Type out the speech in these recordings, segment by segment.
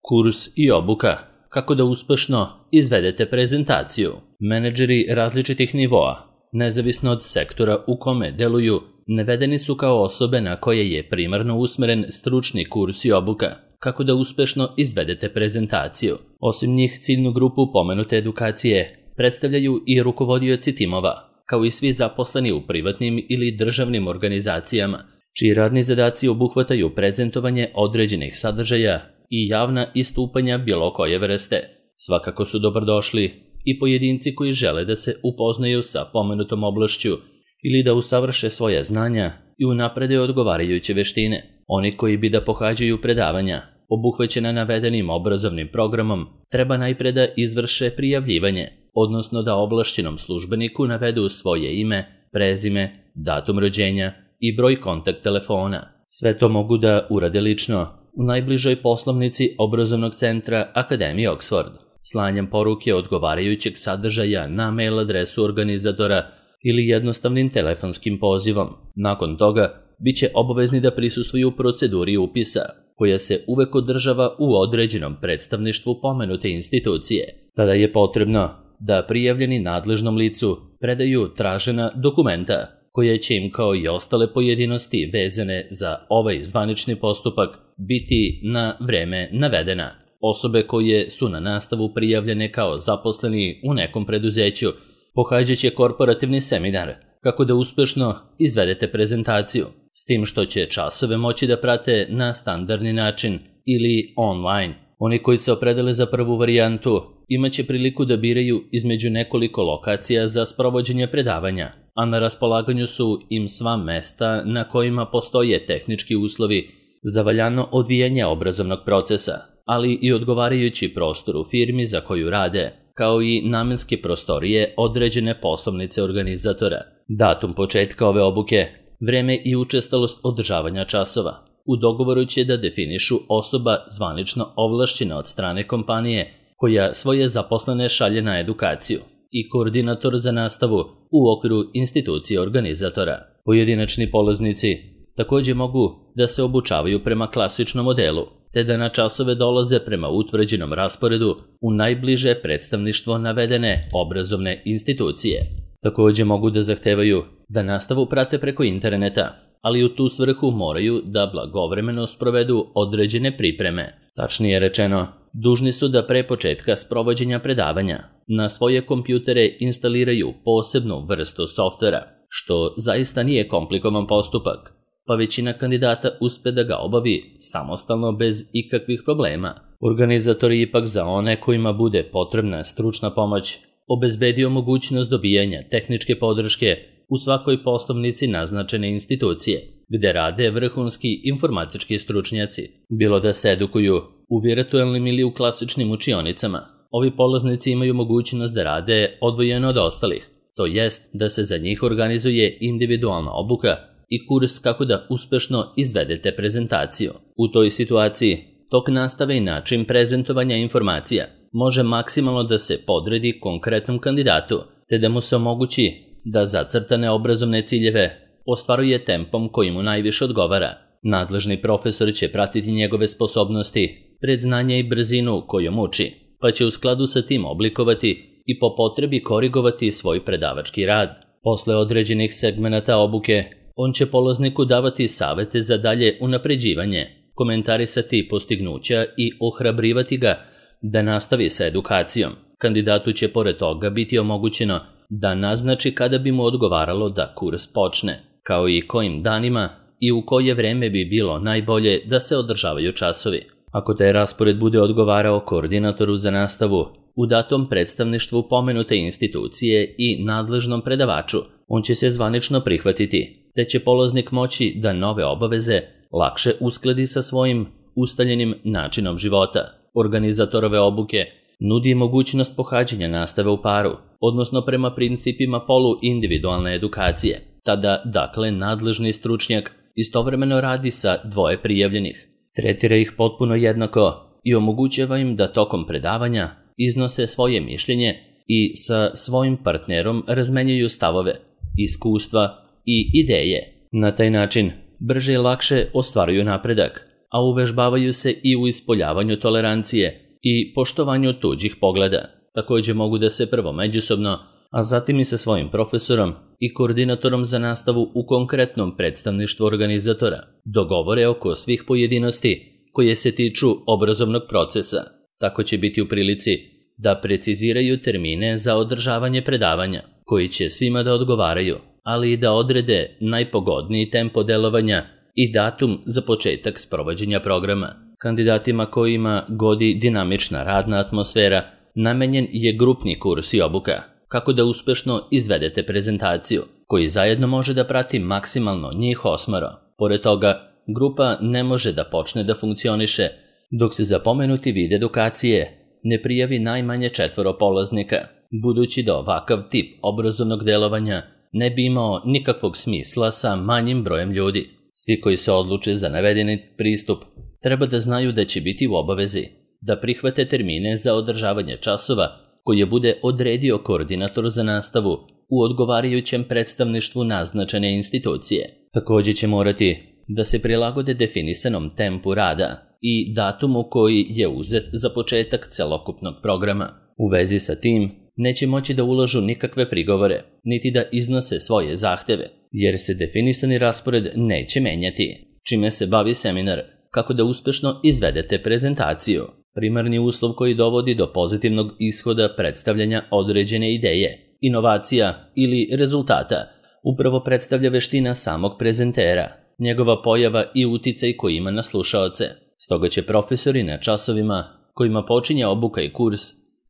Kurs i obuka. Kako da uspešno izvedete prezentaciju. Menadžeri različitih nivoa, nezavisno od sektora u kome deluju, navedeni su kao osobe na koje je primarno usmeren stručni kurs i obuka. Kako da uspešno izvedete prezentaciju. Osim njih, ciljnu grupu pomenute edukacije predstavljaju i rukovodioci timova, kao i svi zaposleni u privatnim ili državnim organizacijama, čiji radni zadaci obuhvataju prezentovanje određenih sadržaja i javna istupanja bilo koje vrste. Svakako su dobrodošli i pojedinci koji žele da se upoznaju sa pomenutom oblašću ili da usavrše svoja znanja i unaprede odgovarajuće veštine. Oni koji bi da pohađaju predavanja, obuhvaćena navedenim obrazovnim programom, treba najpre da izvrše prijavljivanje, odnosno da ovlašćenom službeniku navedu svoje ime, prezime, datum rođenja i broj kontakt telefona. Sve to mogu da urade lično u najbližoj poslovnici obrazovnog centra Akademije Oxford, slanjem poruke odgovarajućeg sadržaja na mail adresu organizatora ili jednostavnim telefonskim pozivom. Nakon toga, biće obavezni da prisustvuju proceduri upisa, koja se uvek održava u određenom predstavništvu pomenute institucije. Tada je potrebno da prijavljeni nadležnom licu predaju tražena dokumenta, koje će im kao i ostale pojedinosti vezane za ovaj zvanični postupak biti na vreme navedena. Osobe koje su na nastavu prijavljene kao zaposleni u nekom preduzeću pohađaće korporativni seminar kako da uspešno izvedete prezentaciju, s tim što će časove moći da prate na standardni način ili online. Oni koji se opredele za prvu varijantu imaće priliku da biraju između nekoliko lokacija za sprovođenje predavanja, a na raspolaganju su im sva mesta na kojima postoje tehnički uslovi za valjano odvijanje obrazovnog procesa, ali i odgovarajući prostor u firmi za koju rade, kao i namenske prostorije određene poslovnice organizatora. Datum početka ove obuke, vreme i učestalost održavanja časova. U dogovoru će da definišu osoba zvanično ovlašćena od strane kompanije koja svoje zaposlene šalje na edukaciju i koordinator za nastavu u okviru institucije organizatora. Pojedinačni polaznici također mogu da se obučavaju prema klasičnom modelu, te da na časove dolaze prema utvrđenom rasporedu u najbliže predstavništvo navedene obrazovne institucije. Također mogu da zahtevaju da nastavu prate preko interneta, ali u tu svrhu moraju da blagovremeno sprovedu određene pripreme. Tačnije rečeno, dužni su da pre početka sprovođenja predavanja na svoje kompjutere instaliraju posebnu vrstu softvera, što zaista nije komplikovan postupak, pa većina kandidata uspe da ga obavi samostalno bez ikakvih problema. Organizator je ipak za one kojima bude potrebna stručna pomoć obezbedio mogućnost dobijanja tehničke podrške u svakoj poslovnici naznačene institucije, gde rade vrhunski informatički stručnjaci, bilo da se edukuju u virtualnim ili u klasičnim učionicama. Ovi polaznici imaju mogućnost da rade odvojeno od ostalih, to jest da se za njih organizuje individualna obuka i kurs kako da uspešno izvedete prezentaciju. U toj situaciji, tok nastave i način prezentovanja informacija može maksimalno da se podredi konkretnom kandidatu, te da mu se omogući da zacrtane obrazovne ciljeve ostvaruje tempom koji mu najviše odgovara. Nadležni profesor će pratiti njegove sposobnosti, predznanje i brzinu kojom uči, pa će u skladu sa tim oblikovati i po potrebi korigovati svoj predavački rad. Posle određenih segmenata obuke, on će polazniku davati savete za dalje unapređivanje, komentarisati postignuća i ohrabrivati ga da nastavi sa edukacijom. Kandidatu će pored toga biti omogućeno da naznači kada bi mu odgovaralo da kurs počne, kao i kojim danima i u koje vreme bi bilo najbolje da se održavaju časovi. Ako taj raspored bude odgovarao koordinatoru za nastavu u datom predstavništvu pomenute institucije i nadležnom predavaču, on će se zvanično prihvatiti, te će polaznik moći da nove obaveze lakše uskladi sa svojim ustaljenim načinom života. Organizatorove obuke nudi mogućnost pohađanja nastave u paru, odnosno prema principima polu-individualne edukacije. Tada, dakle, nadležni stručnjak istovremeno radi sa dvoje prijavljenih, tretira ih potpuno jednako i omogućava im da tokom predavanja iznose svoje mišljenje i sa svojim partnerom razmenjuju stavove, iskustva i ideje. Na taj način brže i lakše ostvaruju napredak, a uvežbavaju se i u ispoljavanju tolerancije i poštovanju tuđih pogleda. Također mogu da se prvo međusobno, a zatim i sa svojim profesorom i koordinatorom za nastavu u konkretnom predstavništvu organizatora dogovore oko svih pojedinosti koje se tiču obrazovnog procesa. Tako će biti u prilici da preciziraju termine za održavanje predavanja, koji će svima da odgovaraju, ali i da odrede najpogodniji tempo delovanja i datum za početak sprovođenja programa. Kandidatima kojima godi dinamična radna atmosfera namenjen je grupni kurs i obuka, kako da uspešno izvedete prezentaciju, koji zajedno može da prati maksimalno njih 8. Pored toga, grupa ne može da počne da funkcioniše dok se za pomenuti vid edukacije ne prijavi najmanje 4 polaznika, budući da ovakav tip obrazovnog delovanja ne bi imao nikakvog smisla sa manjim brojem ljudi. Svi koji se odluče za navedeni pristup treba da znaju da će biti u obavezi da prihvate termine za održavanje časova koje bude odredio koordinator za nastavu u odgovarajućem predstavništvu naznačene institucije. Također će morati da se prilagode definisanom tempu rada i datumu koji je uzet za početak celokupnog programa. U vezi sa tim neće moći da ulažu nikakve prigovore, niti da iznose svoje zahteve, jer se definisani raspored neće menjati. Čime se bavi seminar? Kako da uspešno izvedete prezentaciju. Primarni uslov koji dovodi do pozitivnog ishoda predstavljanja određene ideje, inovacija ili rezultata upravo predstavlja veština samog prezentera, njegova pojava i uticaj koji ima na slušaoce. Stoga će profesori na časovima kojima počinje obuka i kurs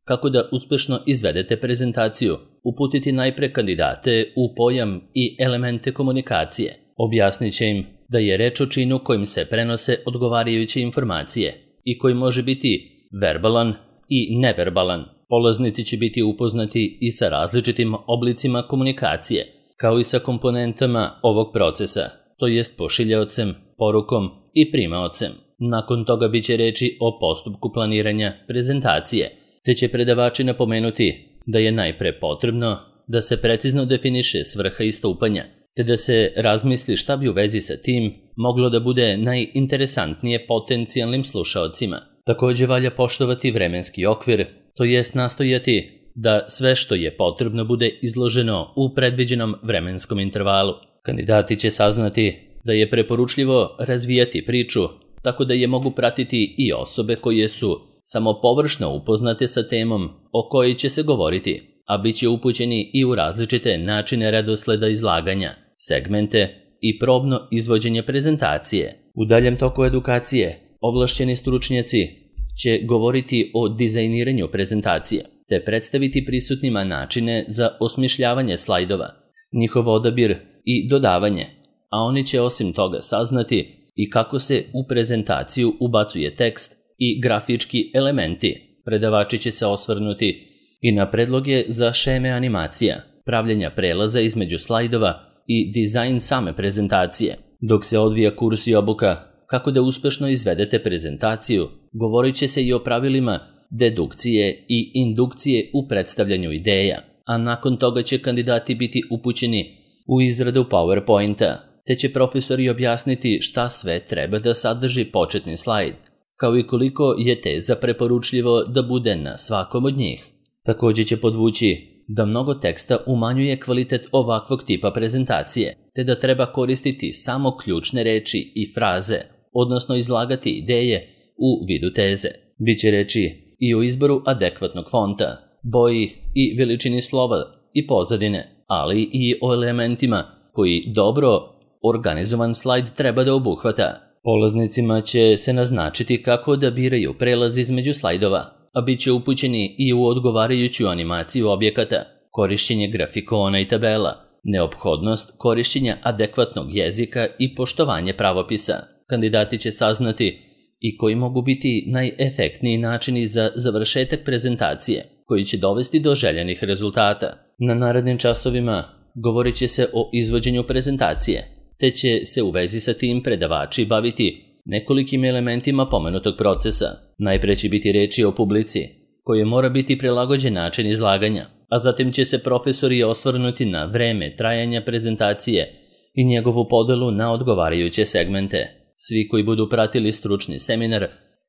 kako da uspešno izvedete prezentaciju uputiti najpre kandidate u pojam i elemente komunikacije. Objasnit će im da je reč o činu kojim se prenose odgovarajuće informacije i koji može biti verbalan i neverbalan. Polaznici će biti upoznati i sa različitim oblicima komunikacije, kao i sa komponentama ovog procesa, to jest pošiljaocem, porukom i primaocem. Nakon toga bit će reči o postupku planiranja prezentacije, te će predavači napomenuti da je najpre potrebno da se precizno definiše svrha istupanja, te da se razmisli šta bi u vezi sa tim moglo da bude najinteresantnije potencijalnim slušaocima. Također valja poštovati vremenski okvir, to jest nastojati da sve što je potrebno bude izloženo u predviđenom vremenskom intervalu. Kandidati će saznati da je preporučljivo razvijati priču tako da je mogu pratiti i osobe koje su samo površno upoznate sa temom o kojoj će se govoriti, a bit će upućeni i u različite načine redosleda izlaganja, segmente i probno izvođenje prezentacije. U daljem toku edukacije ovlašćeni stručnjaci će govoriti o dizajniranju prezentacije, te predstaviti prisutnima načine za osmišljavanje slajdova, njihov odabir i dodavanje, a oni će osim toga saznati i kako se u prezentaciju ubacuje tekst i grafički elementi. Predavači će se osvrnuti i na predloge za šeme animacija, pravljenja prelaza između slajdova i dizajn same prezentacije. Dok se odvija kurs i obuka kako da uspešno izvedete prezentaciju, govorit će se i o pravilima dedukcije i indukcije u predstavljanju ideja, a nakon toga će kandidati biti upućeni u izradu PowerPointa, te će profesori objasniti šta sve treba da sadrži početni slajd, kao i koliko je teza preporučljivo da bude na svakom od njih. Također će podvući da mnogo teksta umanjuje kvalitet ovakvog tipa prezentacije, te da treba koristiti samo ključne reči i fraze, odnosno izlagati ideje u vidu teze. Biće reči i o izboru adekvatnog fonta, boji i veličini slova i pozadine, ali i o elementima koji dobro organizovan slajd treba da obuhvata. Polaznicima će se naznačiti kako da biraju prelaz između slajdova, a bit će upućeni i u odgovarajuću animaciju objekata, korišćenje grafikona i tabela, neophodnost korišćenja adekvatnog jezika i poštovanje pravopisa. Kandidati će saznati i koji mogu biti najefektniji načini za završetak prezentacije, koji će dovesti do željenih rezultata. Na narednim časovima govorit će se o izvođenju prezentacije, te će se u vezi sa tim predavači baviti nekolikim elementima pomenutog procesa. Najpre će biti reči o publici, koje mora biti prilagođen način izlaganja, a zatim će se profesori osvrnuti na vreme trajanja prezentacije i njegovu podelu na odgovarajuće segmente. Svi koji budu pratili stručni seminar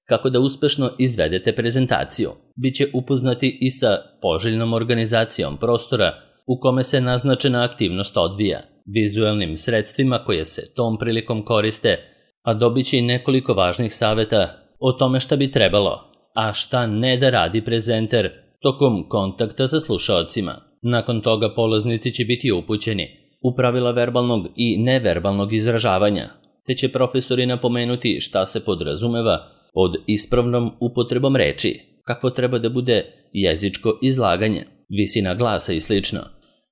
kako da uspešno izvedete prezentaciju, bit će upoznati i sa poželjnom organizacijom prostora u kome se naznačena aktivnost odvija, vizuelnim sredstvima koje se tom prilikom koriste, a dobit će i nekoliko važnih saveta o tome šta bi trebalo, a šta ne da radi prezenter tokom kontakta sa slušaocima. Nakon toga polaznici će biti upućeni u pravila verbalnog i neverbalnog izražavanja, te će profesori napomenuti šta se podrazumeva pod ispravnom upotrebom reči, kakvo treba da bude jezičko izlaganje, visina glasa i sl.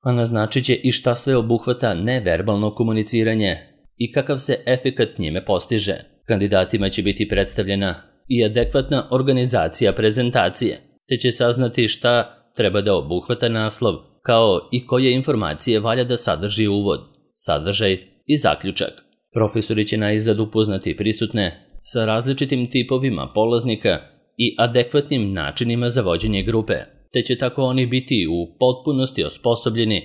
A naznačit će i šta sve obuhvata neverbalno komuniciranje i kakav se efekat njime postiže. Kandidatima će biti predstavljena i adekvatna organizacija prezentacije, te će saznati šta treba da obuhvata naslov, kao i koje informacije valja da sadrži uvod, sadržaj i zaključak. Profesori će naizad upoznati prisutne sa različitim tipovima polaznika i adekvatnim načinima za vođenje grupe, te će tako oni biti u potpunosti osposobljeni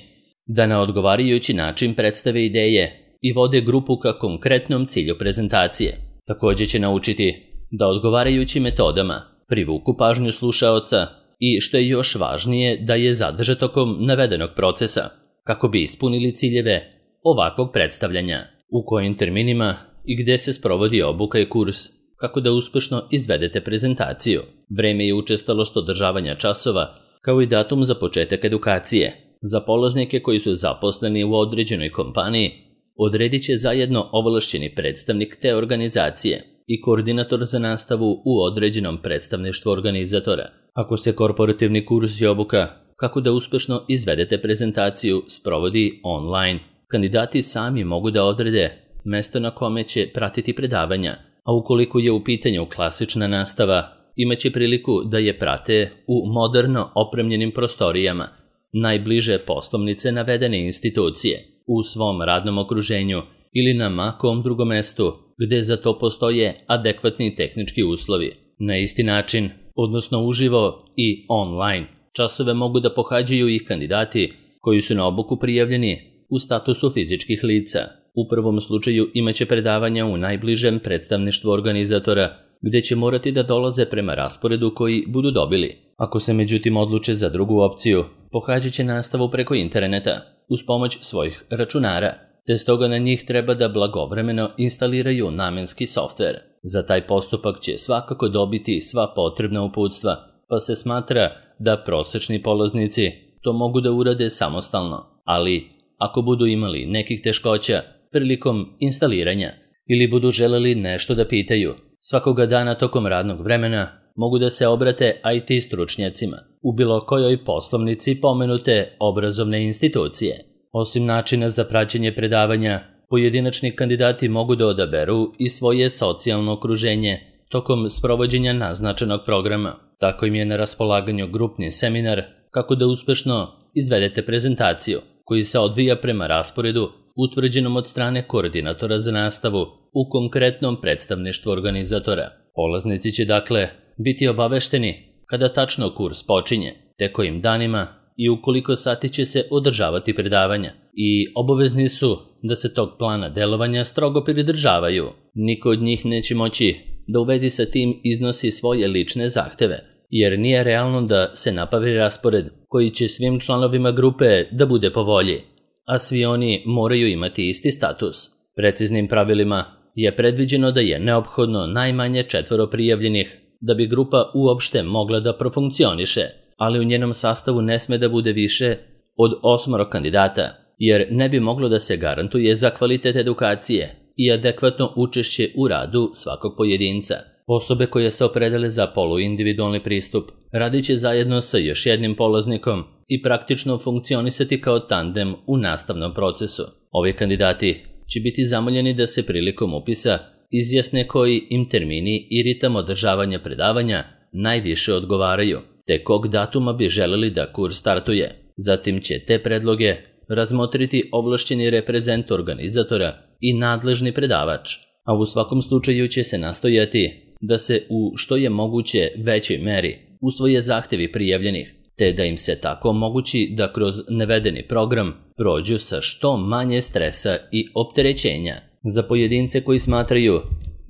da na odgovarajući način predstave ideje i vode grupu ka konkretnom cilju prezentacije. Također će naučiti da odgovarajućim metodama privuku pažnju slušaoca i, što je još važnije, da je zadrže tokom navedenog procesa, kako bi ispunili ciljeve ovakvog predstavljanja, u kojim terminima i gde se sprovodi obuka i kurs, kako da uspešno izvedete prezentaciju, vreme i učestalost održavanja časova, kao i datum za početak edukacije. Za polaznike koji su zaposleni u određenoj kompaniji, odredit će zajedno ovlašćeni predstavnik te organizacije i koordinator za nastavu u određenom predstavništvu organizatora. Ako se korporativni kurs i obuka kako da uspešno izvedete prezentaciju sprovodi online, kandidati sami mogu da odrede mesto na kome će pratiti predavanja, a ukoliko je u pitanju klasična nastava, imaće priliku da je prate u moderno opremljenim prostorijama najbliže poslovnice navedene institucije, u svom radnom okruženju ili na makom drugom mestu gde za to postoje adekvatni tehnički uslovi. Na isti način, odnosno uživo i online, časove mogu da pohađaju i kandidati koji su na obuku prijavljeni u statusu fizičkih lica. U prvom slučaju imaće predavanja u najbližem predstavništvu organizatora, gde će morati da dolaze prema rasporedu koji budu dobili. Ako se međutim odluče za drugu opciju, pohađat će nastavu preko interneta uz pomoć svojih računara, te stoga na njih treba da blagovremeno instaliraju namenski softver. Za taj postupak će svakako dobiti sva potrebna uputstva, pa se smatra da prosečni polaznici to mogu da urade samostalno, ali ako budu imali nekih teškoća prilikom instaliranja ili budu želeli nešto da pitaju, svakoga dana tokom radnog vremena mogu da se obrate IT stručnjacima u bilo kojoj poslovnici pomenute obrazovne institucije. Osim načina za praćenje predavanja, pojedinačni kandidati mogu da odaberu i svoje socijalno okruženje tokom sprovođenja naznačenog programa. Tako im je na raspolaganju grupni seminar kako da uspešno izvedete prezentaciju, koji se odvija prema rasporedu utvrđenom od strane koordinatora za nastavu u konkretnom predstavništvu organizatora. Polaznici će dakle biti obavešteni kada tačno kurs počinje, te kojim danima i u koliko sati će se održavati predavanja, i obavezni su da se tog plana delovanja strogo pridržavaju. Niko od njih neće moći da u vezi sa tim iznosi svoje lične zahteve, jer nije realno da se napravi raspored koji će svim članovima grupe da bude po volji, a svi oni moraju imati isti status. Preciznim pravilima je predviđeno da je neophodno najmanje 4 prijavljenih da bi grupa uopšte mogla da profunkcioniše, ali u njenom sastavu ne sme da bude više od 8 kandidata, jer ne bi moglo da se garantuje za kvalitet edukacije i adekvatno učešće u radu svakog pojedinca. Osobe koje se opredele za poluindividualni pristup radit će zajedno sa još jednim polaznikom i praktično funkcionisati kao tandem u nastavnom procesu. Ovi kandidati će biti zamoljeni da se prilikom upisa izjasne koji im termini i ritam održavanja predavanja najviše odgovaraju, te kog datuma bi želeli da kurs startuje. Zatim će te predloge razmotriti ovlašćeni reprezent organizatora i nadležni predavač, a u svakom slučaju će se nastojati da se u što je moguće većoj meri usvoje zahtevi prijavljenih, te da im se tako omogući da kroz navedeni program prođu sa što manje stresa i opterećenja. Za pojedince koji smatraju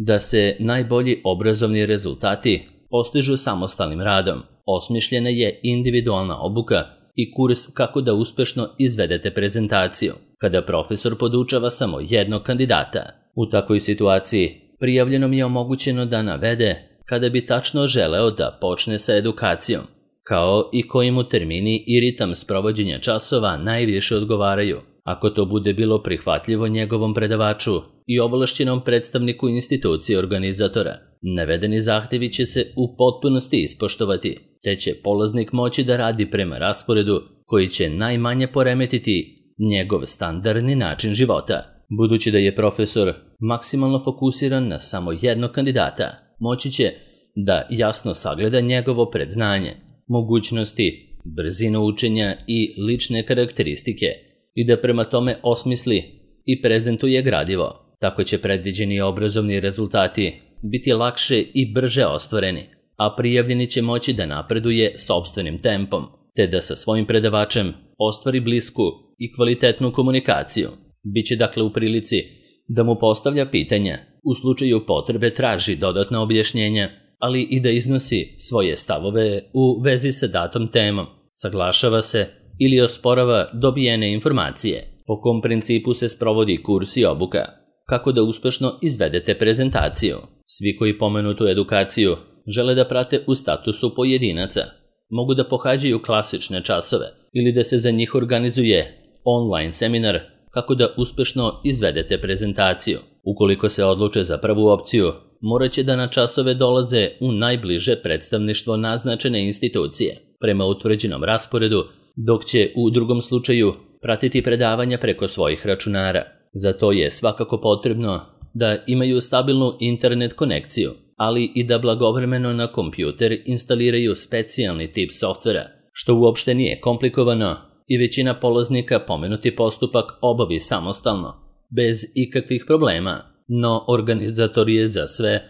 da se najbolji obrazovni rezultati postižu samostalnim radom. Osmišljena je individualna obuka i kurs kako da uspešno izvedete prezentaciju, kada profesor podučava samo jednog kandidata. U takvoj situaciji prijavljenom je omogućeno da navede kada bi tačno želeo da počne sa edukacijom, kao i koji mu termini i ritam sprovođenja časova najviše odgovaraju. Ako to bude bilo prihvatljivo njegovom predavaču i ovlašćenom predstavniku institucije organizatora, navedeni zahtevi će se u potpunosti ispoštovati, te će polaznik moći da radi prema rasporedu koji će najmanje poremetiti njegov standardni način života. Budući da je profesor maksimalno fokusiran na samo jednog kandidata, moći će da jasno sagleda njegovo predznanje, mogućnosti, brzinu učenja i lične karakteristike i da prema tome osmisli i prezentuje gradivo. Tako će predviđeni obrazovni rezultati biti lakše i brže ostvareni, a prijavljeni će moći da napreduje sopstvenim tempom, te da sa svojim predavačem ostvari blisku i kvalitetnu komunikaciju. Biće dakle u prilici da mu postavlja pitanja, u slučaju potrebe traži dodatna objašnjenja, ali i da iznosi svoje stavove u vezi sa datom temom, saglašava se ili osporava dobijene informacije. Po kom principu se sprovodi kurs i obuka? Kako da uspešno izvedete prezentaciju? Svi koji pomenutu edukaciju žele da prate u statusu pojedinaca, mogu da pohađaju klasične časove ili da se za njih organizuje online seminar kako da uspešno izvedete prezentaciju. Ukoliko se odluče za prvu opciju, morat će da na časove dolaze u najbliže predstavništvo naznačene institucije prema utvrđenom rasporedu, dok će u drugom slučaju pratiti predavanja preko svojih računara. Za to je svakako potrebno da imaju stabilnu internet konekciju, ali i da blagovremeno na kompjuter instaliraju specijalni tip softvera, što uopšte nije komplikovano i većina polaznika pomenuti postupak obavi samostalno, bez ikakvih problema, no organizator je za sve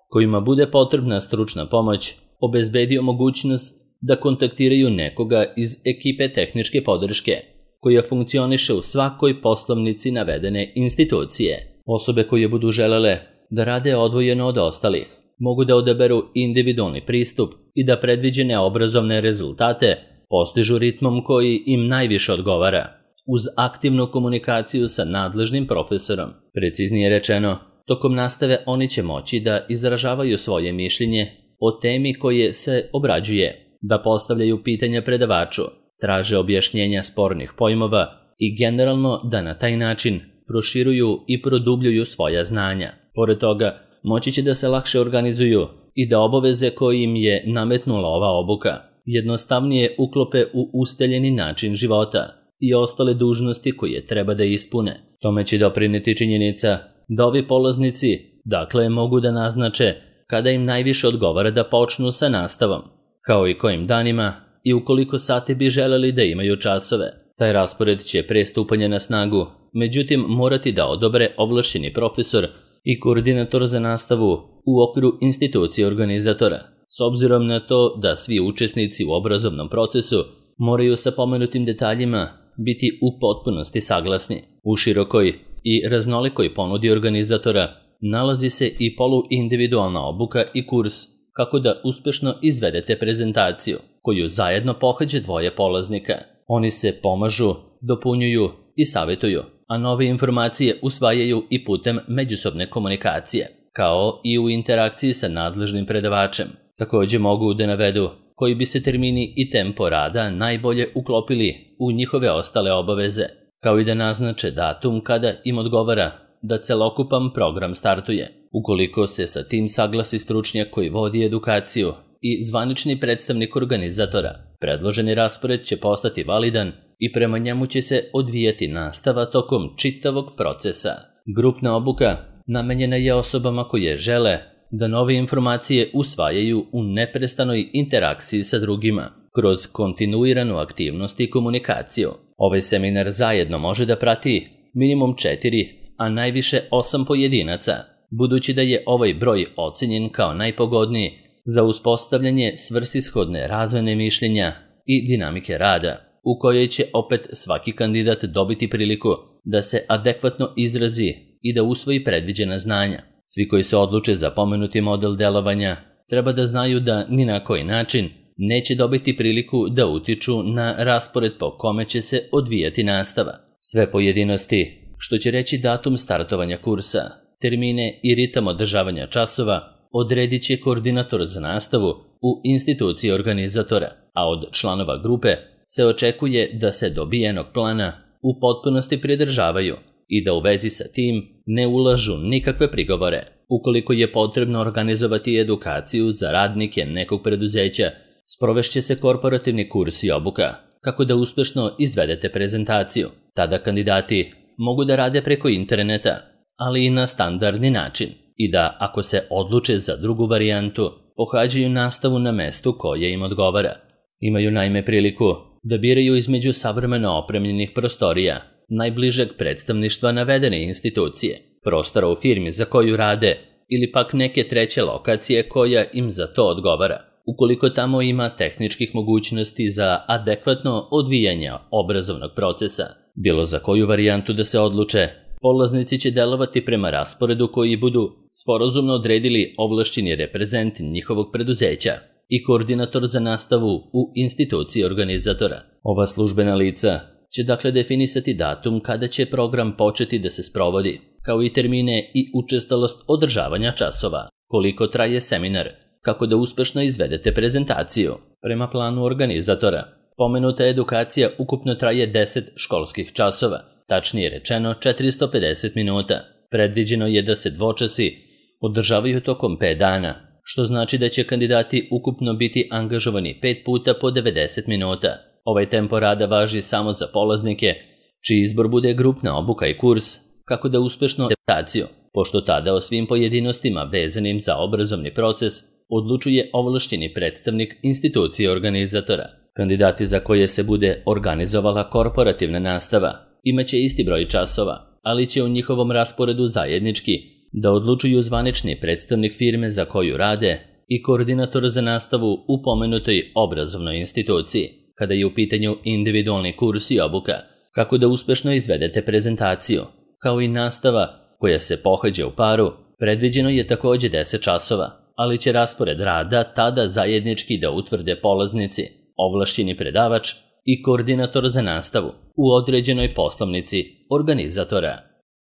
kojima bude potrebna stručna pomoć obezbedio mogućnost da kontaktiraju nekoga iz ekipe tehničke podrške, koja funkcioniše u svakoj poslovnici navedene institucije. Osobe koje budu želele da rade odvojeno od ostalih mogu da odaberu individualni pristup i da predviđene obrazovne rezultate postižu ritmom koji im najviše odgovara, uz aktivnu komunikaciju sa nadležnim profesorom. Preciznije rečeno, tokom nastave oni će moći da izražavaju svoje mišljenje o temi koje se obrađuje, da postavljaju pitanja predavaču, traže objašnjenja spornih pojmova i generalno da na taj način proširuju i produbljuju svoja znanja. Pored toga, moći će da se lakše organizuju i da obaveze koje im je nametnula ova obuka jednostavnije uklope u ustaljeni način života i ostale dužnosti koje treba da ispune. Tome će doprineti činjenica da ovi polaznici dakle mogu da naznače kada im najviše odgovara da počnu sa nastavom, kao i kojim danima i u koliko sati bi želeli da imaju časove. Taj raspored će pre stupanja na snagu, međutim morati da odobre ovlašćeni profesor i koordinator za nastavu u okviru institucije organizatora, s obzirom na to da svi učesnici u obrazovnom procesu moraju sa pomenutim detaljima biti u potpunosti saglasni. U širokoj i raznolikoj ponudi organizatora nalazi se i poluindividualna obuka i kurs kako da uspešno izvedete prezentaciju, koju zajedno pohađe dvoje polaznika. Oni se pomažu, dopunjuju i savjetuju, a nove informacije usvajaju i putem međusobne komunikacije, kao i u interakciji sa nadležnim predavačem. Također mogu da navedu koji bi se termini i tempo rada najbolje uklopili u njihove ostale obaveze, kao i da naznače datum kada im odgovara da celokupan program startuje. Ukoliko se sa tim saglasi stručnjak koji vodi edukaciju i zvanični predstavnik organizatora, predloženi raspored će postati validan i prema njemu će se odvijati nastava tokom čitavog procesa. Grupna obuka namenjena je osobama koje žele da nove informacije usvajaju u neprestanoj interakciji sa drugima, kroz kontinuiranu aktivnost i komunikaciju. Ovaj seminar zajedno može da prati minimum 4, a najviše 8 pojedinaca, budući da je ovaj broj ocenjen kao najpogodniji za uspostavljanje svrsishodne razmene mišljenja i dinamike rada, u kojoj će opet svaki kandidat dobiti priliku da se adekvatno izrazi i da usvoji predviđena znanja. Svi koji se odluče za pomenuti model delovanja treba da znaju da ni na koji način neće dobiti priliku da utiču na raspored po kome će se odvijati nastava. Sve pojedinosti, što će reći datum startovanja kursa, termine i ritam održavanja časova, odredit će koordinator za nastavu u instituciji organizatora, a od članova grupe se očekuje da se dobijenog plana u potpunosti pridržavaju i da u vezi sa tim ne ulažu nikakve prigovore. Ukoliko je potrebno organizovati edukaciju za radnike nekog preduzeća, sprovešće se korporativni kurs i obuka kako da uspešno izvedete prezentaciju. Tada kandidati mogu da rade preko interneta, ali i na standardni način, i da, ako se odluče za drugu varijantu, pohađaju nastavu na mestu koje im odgovara. Imaju naime priliku da biraju između savremeno opremljenih prostorija, najbližeg predstavništva navedene institucije, prostora u firmi za koju rade ili pak neke treće lokacije koja im za to odgovara. Ukoliko tamo ima tehničkih mogućnosti za adekvatno odvijanje obrazovnog procesa, bilo za koju varijantu da se odluče, polaznici će delovati prema rasporedu koji budu sporazumno odredili ovlašćeni reprezent njihovog preduzeća i koordinator za nastavu u instituciji organizatora. Ova službena lica će dakle definisati datum kada će program početi da se sprovodi, kao i termine i učestalost održavanja časova, koliko traje seminar, kako da uspešno izvedete prezentaciju. Prema planu organizatora, pomenuta edukacija ukupno traje 10 školskih časova, tačnije rečeno 450 minuta. Predviđeno je da se dvočasi održavaju tokom 5 dana, što znači da će kandidati ukupno biti angažovani 5 puta po 90 minuta. Ovaj tempo rada važi samo za polaznike, čiji izbor bude grupna obuka i kurs, kako da uspešno adaptaciju, pošto tada o svim pojedinostima vezanim za obrazovni proces odlučuje ovlašćeni predstavnik institucije organizatora. Kandidati za koje se bude organizovala korporativna nastava imaće isti broj časova, ali će u njihovom rasporedu zajednički da odlučuju zvanični predstavnik firme za koju rade i koordinator za nastavu u pomenutoj obrazovnoj instituciji. Kada je u pitanju individualni kurs i obuka, kako da uspešno izvedete prezentaciju, kao i nastava koja se pohađa u paru, predviđeno je takođe 10 časova, ali će raspored rada tada zajednički da utvrde polaznici, ovlašćeni predavač i koordinator za nastavu u određenoj poslovnici organizatora.